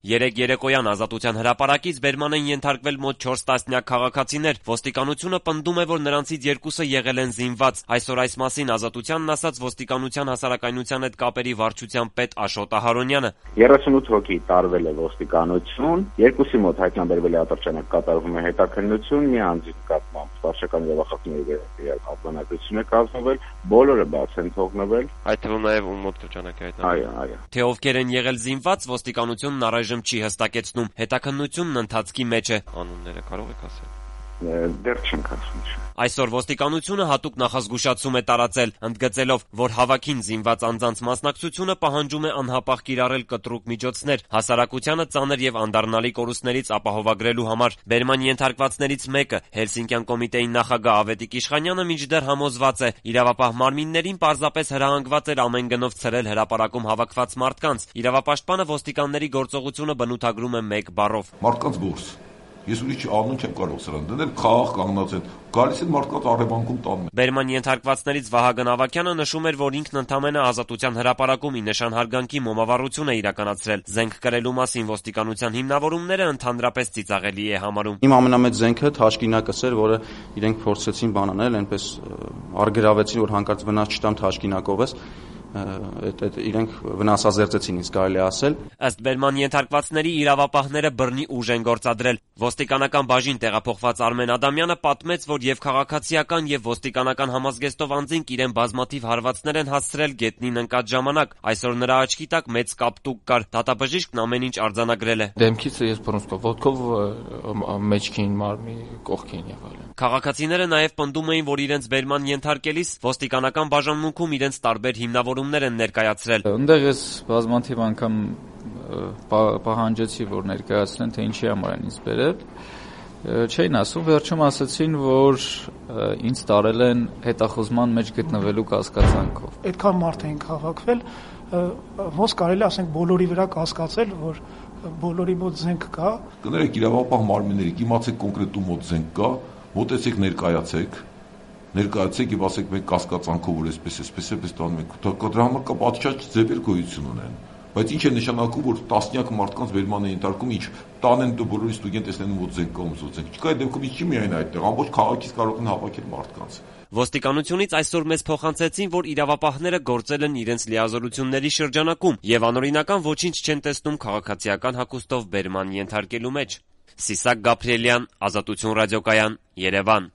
Երեկ երեկոյան Ազատության հրապարակից բերման են ենթարկվել մոտ 4 տասնյակ քաղաքացիներ, ոստիկանությունը պնդում է, որ նրանցից 2-ը եղել են զինված, այսօր այս մասին Ազատությանն ասաց ոստիկանության հասարակայնության հետ կապերի վարչության պետ Աշոտ Ահարոնյանը. 38 հոգի տարվել է ոստիկանություն, 2-ի մոտ հայտնաբերվել է ատրճանակ կատարվում է հետաքննություն, մի անձի նկատմամբ վարչական իրավախախտների արձանագրություն է կազմվել, բոլորը բաց են թողնվել, այդ թվում նաև ում մոտ ատրճանակ է հայտնաբերվել։ Այո։ Թե ովքեր են եղել զինված, ոստիկանությունն առայժմ չի հստակեցնում, հետաքննությունն ընթացքի մեջ է։ Անունները կարող եք ասել։ Դեռ չենք ասում։ Այսօր ոստիկանությունը հատուկ նախազգուշացում է տարածել, ընդգծելով, որ հավաքին զինված անձանց մասնակցությունը պահանջում է անհապաղ կիրառել կտրուկ միջոցներ, հասարակությանը ծանր եւ անդառնալի կորուստներից ապահովագրելու համար։ Բերման ենթարկվածներից մեկը, Հելսինկյան կոմիտեի նախագահ Ավետիք Իշխանյանը մինչդեռ համոզված է, իրավապահ մարմիններին պարզապես հրահանգված էր ամեն գնով ցրել հրապարակում հավաքված մարդկանց։ Իրավապաշտպանը ոստիկանների գործողությունը բնութագրում է մեկ բառով. Մարդկանց գործ։ Ես ուրիշ անուն չեմ կարող սրան դնել, խաղաղ կանգնած են, գալիս են մարդկանց առևանգում տանում։ Բերման ենթարկվածներից Վահագն Ավագյանը նշում էր, որ ինքն ընդամենը Ազատության հրապարակում ի նշան հարգանքի մոմավառություն է իրականացրել։ Զենք կրելու մասին ոստիկանության հիմնավորումները ընդհանրապես ծիծաղելի է համարում։ Իմ ամենամեծ զենքը թաշկինակս էր, որը իրենք փորձեցին բանանել, այնպես արգրավեցին, որ հանկարծ վնաս չտամ թաշկինակովս։ Իրենք վնասազերծեցին, իսկ կարելի ասել։ Ըստ բերման ենթարկվածների իրավապահները բռնի ուժ են գործադրել։ Ոստիկանական բաժին տեղափոխված Արմեն Ադամյանը պատմեց, որ եւ քաղաքացիական եւ ոստիկանական համազգեստով անձինք իրեն բազմաթիվ հարվածներ են հասցրել գետնին ընկած ժամանակ։ Այսօր նրա աչքի տակ մեծ կապտուկ կար։ Դատաբժիշկն ամեն ինչ արձանագրել է։ Դեմքից ես բռնցքով, ոտքով մեջքին, մարմնի կողքին եղել եմ։ Քաղաքացիները նաեւ պնդում էին, որ իրենց բերման ենթարկելիս ոստիկանական բաժանմունքում իրենց տարբեր հիմնավորումներ են ներկայացրել։ Այնտեղ ես բազմաթիվ անգամ պահանջեցի, որ ներկայացնեն, թե ինչի համար են ինձ բերել։ Չէին ասում, վերջում ասացին, որ ինձ տարել են հետախուզման մեջ գտնվելու կասկածանքով։ Այդքան մարդ էին հավաքվել, ոնց կարելի ասենք բոլորի վրա կասկածել, որ բոլորի մոտ զենք կա։ Կներեք իրավապահ մարմինների, իմացեք կոնկրետ ում մոտ զենք կա, մոտեցեք ներկայացեք եւ ասեք մենք կասկածանքով որ այսպես տանում ենք։ Դրա համար կա պատշաճ ձևեր գոյություն ունեն։ Բայց ինչ է նշանակում, որ տասնյակ մարդկանց բերման է ենթարկում, ինչ տանեն բոլորի ստուգեն տեսնեն ում զենք կա, ում զենք չկա, այդ դեպքում չի միայն այդտեղ, ամբողջ քաղաքից կարող են հավաքել մարդկանց։ Ոստիկանությունից այսօր մեզ փոխանցեցին, որ իրավապահները գործել են իրենց լիազորությունների շրջանակում եւ անօրինական ոչինչ չեն տեսնում քաղաքացիական հագուստով բերման ենթարկելու մեջ։ Սիսակ Գաբրիելյան, Ազատություն ռադիոկայան, Երևան։